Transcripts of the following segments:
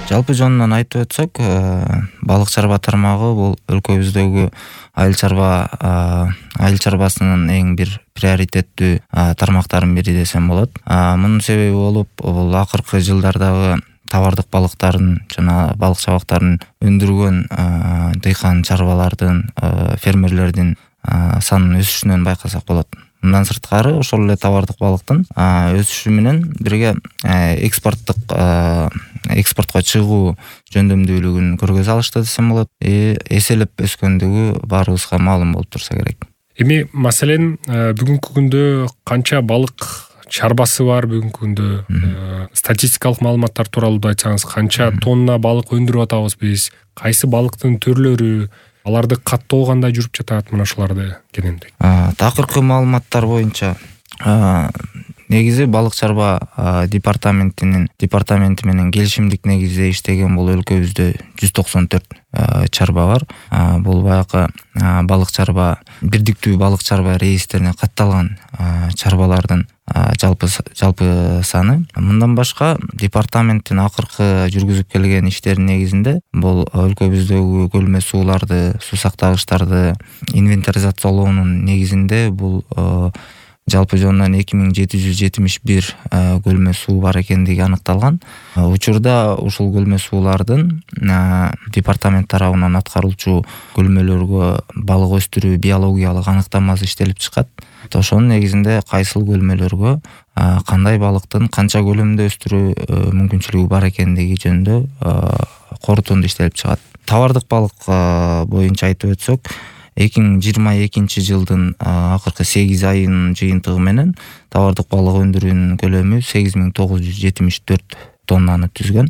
Жалпы жонунан айтып өтсөк, балык чарба тармагы бул өлкөбүздөгү айыл чарбасынын эң бир приоритеттүү тармактардын бири десем болот. Мунун себеби болуп, бул акыркы жылдардагы товардык балыктардын жана балык чабактарын өндүргөн дыйкан чарбалардын, фермерлердин санынын өсүшүнөн байкасак болот. Мындан сырткары ошол эле товардык балыктын өсүшү менен бирге экспортко чыгуу жөндөмдүүлүгүн көргөзө алышты десем болот. Эселеп өскөндүгү баарыбызга маалым болуп турса керек. Эми маселен бүгүнкү күндө канча балык чарбасы бар, бүгүнкү күндө статистикалык маалыматтар тууралуу айтсаңыз, канча тонна балык өндүрүп атабыз биз, кайсы балыктын түрлөрү, аларды каттоо кандай жүрүп жатат, мына ушуларды кененирээк. Такыркы маалыматтар боюнча негизи балык чарба департаменти менен келишимдик негизде иштеген бул өлкөбүздө 194 чарба бар. Бул баягы балык чарба, бирдиктүү балык чарба реестрине катталган чарбалардын жалпы саны. Мындан башка департаменттин акыркы жүргүзүп келген иштеринин негизинде бул өлкөбүздөгү көлмө сууларды, суу сактагычтарды инвентаризациялоонун негизинде бул жалпы жонунан 2771 көлмө суу бар экендиги аныкталган. Учурда ушул көлмө суулардын департамент тарабынан аткаруучу көлмөлөргө балык өстүрүү биологиялык аныктамасы иштелип чыкат. Ошонун негизинде кайсыл көлмөлөргө кандай балыктын канча көлөмдө өстүрүү мүмкүнчүлүгү бар экендиги жөнүндө корутунду иштелип чыгат. Товардык балык боюнча айтып өтсөк, 2022 жылдын акыркы 8 айынын жыйынтыгы менен товардык балык өндүрүүнүн көлөмү 8974 тоннаны түзгөн.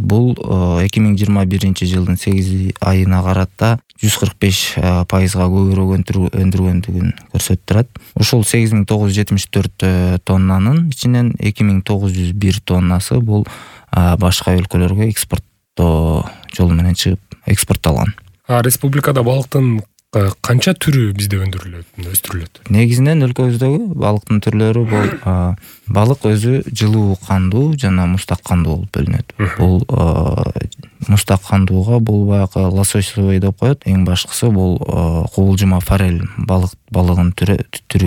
Бул 2021 жылдын 8 айына карата 145% көбүрөөк өндүргөндүгүн көрсөтүп турат. Ушул 8974 тоннанын ичинен 2901 тоннасы бул башка өлкөлөргө экспорттоо жолу менен чыгып экспортталган. Республикада балыктын канча түрү бизде өстүрүлөт? Негизинен өлкөбүздөгү балыктын түрлөрү бул балык өзү жылуу кандуу жана мустак кандуу болуп бөлүнөт. Бул мустак кандууга бул баягы лососевый деп коет. Эң башкысы бул кубулжума форель балыгынын түрү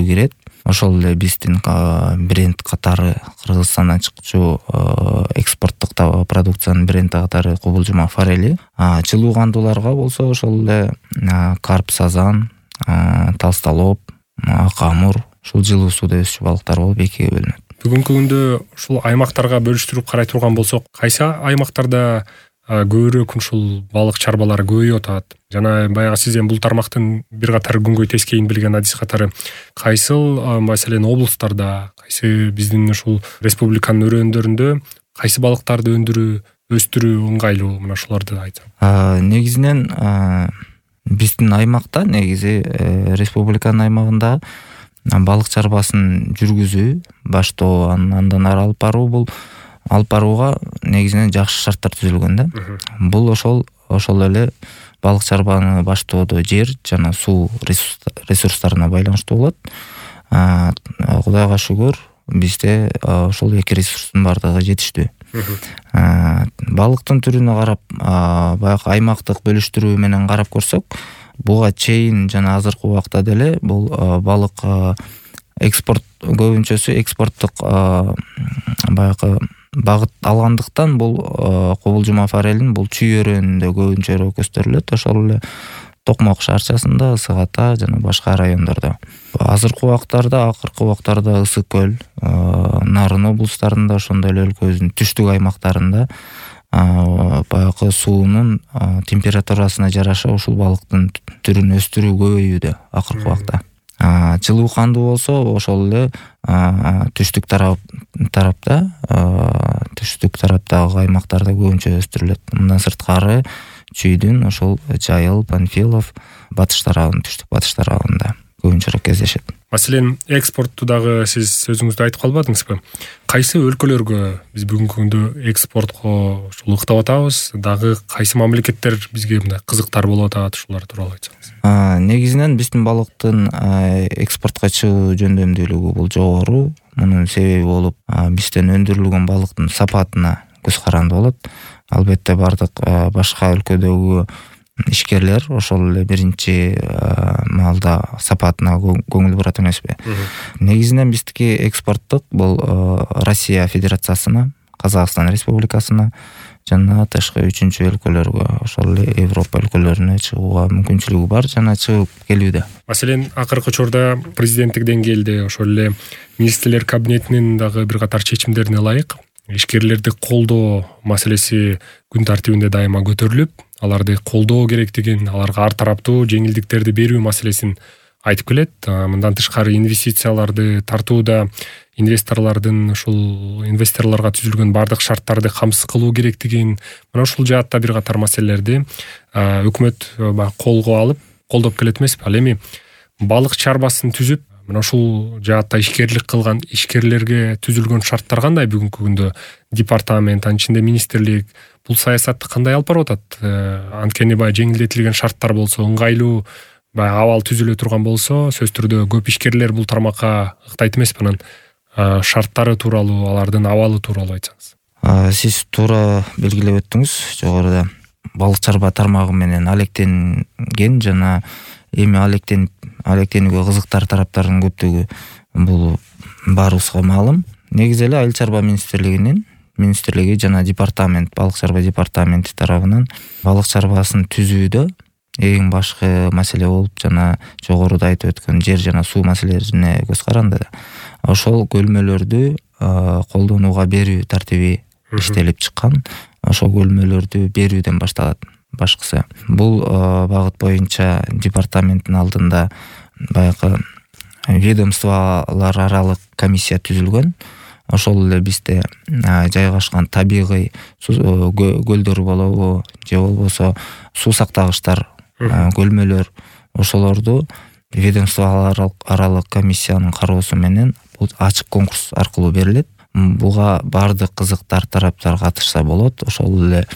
кирет. Ошол эле биздин бренд катары Кыргызстандан чыкчу экспорттук продукциянын бренди катары кубулжума форели. Жылуу кандууларга болсо ошол эле карп, сазан, толстолоб, акамур, ушул жылуу сууда өсчү балыктар болуп экиге бөлүнөт. Бүгүнкү күндө ушул аймактарга бөлүштүрүп карай турган болсок, кайсы аймактарда көбүрөөк ушул балык чарбалары көбөйүп атат? Жана баягы сиз бул тармактын бир катар күнгөй тескейин билген адис катары кайсыл маселен облустарда, кайсы биздин ушул республиканын өрөөндөрүндө кайсы балыктарды өстүрүү ыңгайлуу, мына ушуларды айтсам. Негизинен биздин аймакта, негизи республиканын аймагында балык чарбасын жүргүзүү, баштоо, андан ары алып баруу, бул алып барууга негизинен жакшы шарттар түзүлгөн да. Бул ошол эле балык чарбаны баштоодо жер жана суу ресурстарына байланыштуу болот. Кудайга шүгүр, бизде ошол эки ресурстун бардыгы жетиштүү. Балыктын түрүнө карап, баягы аймактык бөлүштүрүү менен карап көрсөк, буга чейин жана азыркы убакта деле бул балык экспорт көбүнчөсү экспорттук баягы багыт алгандыктан бул кубулжума форелин бул чүй өрөөнүндө көбүнчөрөөк өстүрүлөт. Ошол эле Токмок шаарчасында, Ысык Ата жана башка райондордо. Азыркы убактарда, акыркы убактарда Ысык көл, Нарын облустарында, ошондой эле өлкөбүздүн түштүк аймактарында баягы суунун температурасына жараша ушул балыктын түрүн өстүрүү көбөйүүдө акыркы убакта. Жылуу кандуу болсо ошол эле түштүк тараптагы аймактарда көбүнчө өстүрүлөт. Мындан сырткары чүйдүн ошол Жайыл, Панфилов, түштүк батыш тарабында көбүнчөрөөк кездешет. Маселен, экспортту дагы сиз өзүңүздө айтып калбадыңызбы? Кайсы өлкөлөргө биз бүгүнкү күндө экспортко ыктап атабыз? Дагы кайсы мамлекеттер бизге мындай кызыктар болуп атат? Ушулар тууралуу айтсаңыз. Негизинен биздин балыктын экспортко чыгуу жөндөмдүүлүгү бул жогору. Мунун себеби болуп, бизден өндүрүлгөн балыктын сапатына көз каранды болот. Албетте бардык башка өлкөдөгү ишкерлер ошол эле биринчи маалда сапатына көңүл бурат эмеспи. Негизинен биздики экспорттук бул Россия Федерациясына, Казакстан Республикасына жана тышкы үчүнчү өлкөлөргө, ошол эле Европа өлкөлөрүнө чыгууга мүмкүнчүлүгү бар жана чыгып келүүдө. Маселен, акыркы учурда президенттик деңгээлде ошол эле министрлер кабинетинин дагы бир катар чечимдерине ылайык ишкерлерди колдоо маселеси күн тартибинде дайыма көтөрүлүп, аларды колдоо керектигин, аларга ар тараптуу жеңилдиктерди берүү маселесин айтып келет. Мындан тышкары инвестицияларды тартууда инвесторлордун ушул инвесторлорго түзүлгөн бардык шарттарды камсыз кылуу керектигин, мына ушул жаатта бир катар маселелерди өкмөт колго алып колдоп келет эмеспи? Ал эми балык чарбасын түзүп, мына ушул жаатта ишкерлик кылган ишкерлерге түзүлгөн шарттар кандай бүгүнкү күндө? Департамент, анын ичинде министрлик бул саясатты кандай алып барып атат? Анткени жеңилдетилген шарттар болсо, ыңгайлуу абал түзүлө турган болсо, сөзсүз түрдө көп ишкерлер бул тармакка ыктайт эмеспи? Анан шарттары тууралуу, алардын абалы тууралуу айтсаңыз. Сиз туура белгилеп өттүңүз. Жогоруда балык чарба тармагы менен алектенген жана эми алектенүүгө кызыктар тараптардын көптүгү бул баарыбызга маалым. Негизи эле Айыл чарба министрлиги жана департамент, балык чарба департаменти тарабынан балык чарбасын түзүүдө эң башкы маселе болуп жана жогоруда айтып өткөн жер жана суу маселелерине көз каранды. Ошол көлмөлөрдү колдонууга берүү тартиби иштелип чыккан. Ошол көлмөлөрдү берүүдөн башталат. Башкысы бул багыт боюнча департаменттин алдында баягы ведомстволор аралык комиссия түзүлгөн. Ошол эле бизде жайгашкан табигый көлдөр болобу же болбосо суу сактагычтар, көлмөлөр, ошолорду ведомстволор аралык комиссиянын кароосу менен бул ачык конкурс аркылуу берилет. Буга бардык кызыктар тараптар катышса болот. Ошол эле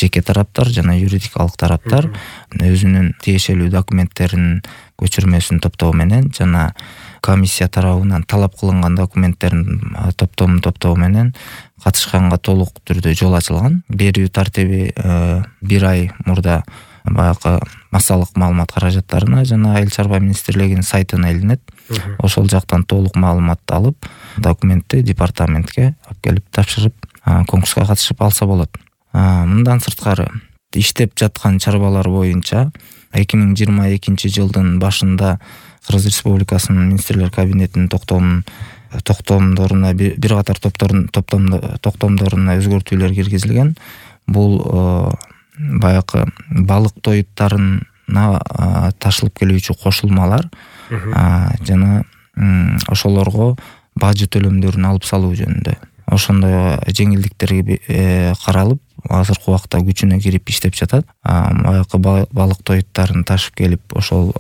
жеке тараптар жана юридикалык тараптар өзүнүн тиешелүү документтеринин көчүрмөсүн топтоо менен жана комиссия тарабынан талап кылынган документтерин топтоо менен катышканга толук түрдө жол ачылган. Берүү тартиби 1 ай мурда баягы массалык маалымат каражаттарына жана Айыл чарба министрлигинин сайтына илинет. Ошол жактан толук маалыматты алып, документти департаментке алып келип тапшырып, конкурска катышып алса болот. Мындан сырткары иштеп жаткан чарбалар боюнча 2022 жылдын башында Кыргыз Республикасынын министрлер кабинетинин токтомдоруна бир катар токтомдоруна өзгөртүүлөр киргизилген. Бул баягы балык тоюттарына ташылып келүүчү кошулмалар жана ошолорго бажы төлөмдөрүн алып салуу жөнүндө. Ошондой жеңилдиктерге каралып, азыркы убакта күчүнө кирип иштеп жатат. Баягы балык тоюттарын ташып келип, ошол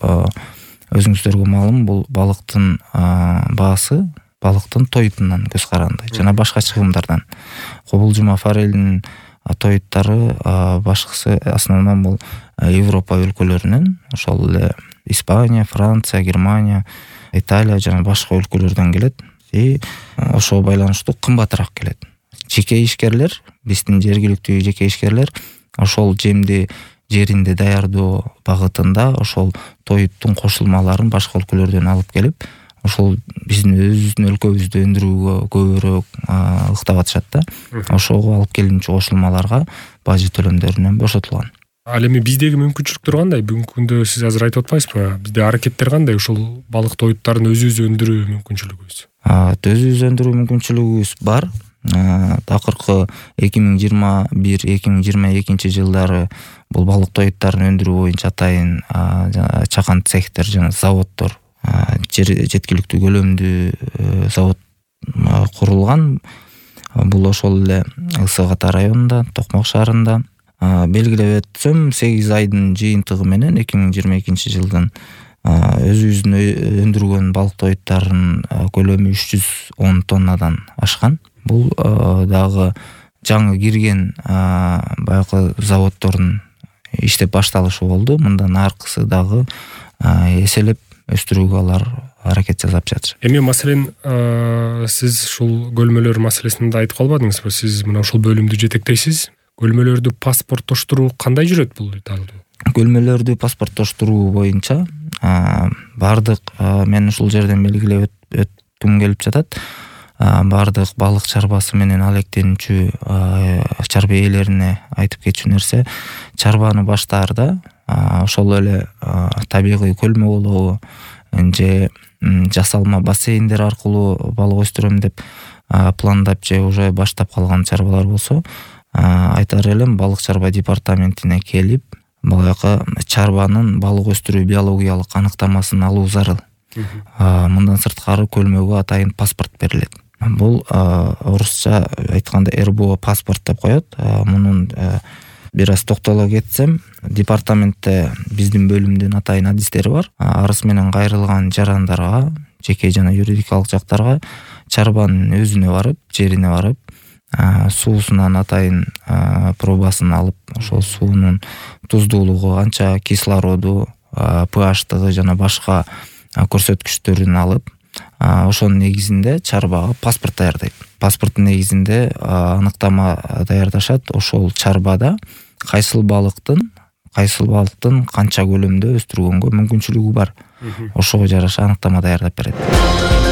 өзүңүздөргө маалым, бул балыктын баасы балыктын тоютунан көз каранды жана башка чыгымдардан. Кобулжума форелинин тоюттары башкысы основном бул Европа өлкөлөрүнөн, ошол эле Испания, Франция, Германия, Италия жана башка өлкөлөрдөн келет. Ошого байланыштуу кымбатыраак келет. Жеке ишкерлер, биздин жергиликтүү жеке ишкерлер ошол жеринде даярдоо багытында ошол тоюттун кошулмаларын башка өлкөлөрдөн алып келип, ошол биздин өзүбүздүн өлкөбүздө өндүрүүгө көбүрөөк ыктап атышат да. Ошого алып келинчү кошулмаларга бажы төлөмдөрүнөн бошотулган. Ал эми биздеги мүмкүнчүлүктөр кандай? Бүгүнкү күндө сиз азыр айтып атпайсызбы? Бизде аракеттер кандай ушул балык тоюттарын өзүбүз өндүрүү мүмкүнчүлүгүбүз? Өзүбүз өндүрүү мүмкүнчүлүгүбүз бар. Акыркы 2021-2022 жылдары бул балык тоюттарын өндүрүү боюнча атайын чакан цехтер жана заводдор, жеткиликтүү көлөмдүү завод курулган. Бул ошол эле Ысык Ата районунда, Токмок шаарында. Белгилеп өтсөм, 8 айдын жыйынтыгы менен 2022 жылдын өзүбүздүн өндүргөн балык тоюттарынын көлөмү 310 тоннадан ашкан. Бул дагы жаңы кирген баягы заводдордун иштеп башталышы болду. Мындан аркысы дагы эселеп өстүрүүгө алар аракет жасап жатышат. Эми маселен сиз ушул көлмөлөр маселесин да айтып калбадыңызбы? Сиз мына ушул бөлүмдү жетектейсиз. Көлмөлөрдү паспорттоштуруу кандай жүрөт бул Италияда? Көлмөлөрдү паспорттоштуруу боюнча бардык мен ушул жерден белгилеп өткүм келип жатат. Бардык балык чарбасы менен алектенүүчү чарба ээлерине айтып кетчү нерсе, чарбаны баштаарда ошол эле табигый көлмө болобу же жасалма бассейндер аркылуу балык өстүрөм деп пландап же уже баштап калган чарбалар болсо, айтар элем балык чарба департаментине келип, баягы чарбанын балык өстүрүү биологиялык аныктамасын алуу зарыл. Мындан сырткары көлмөгө атайын паспорт берилет. Бул орусча айтканда РБО паспорт деп коет. Мунун бир аз токтоло кетсем, департаментте биздин бөлүмдүн атайын адистери бар. Арыз менен кайрылган жарандарга, жеке жана юридикалык жактарга чарбанын өзүнө барып, жерине барып, суусунан атайын пробасын алып, ошол суунун туздуулугу канча, кислороду, pH-тыгы жана башка көрсөткүчтөрүн алып, ошонун негизинде чарбага паспорт даярдайт. Паспорттун негизинде аныктама даярдашат. Ошол чарбада кайсыл балыктын канча көлөмдө өстүргөнгө мүмкүнчүлүгү бар. Ошого жараша аныктама даярдап берет.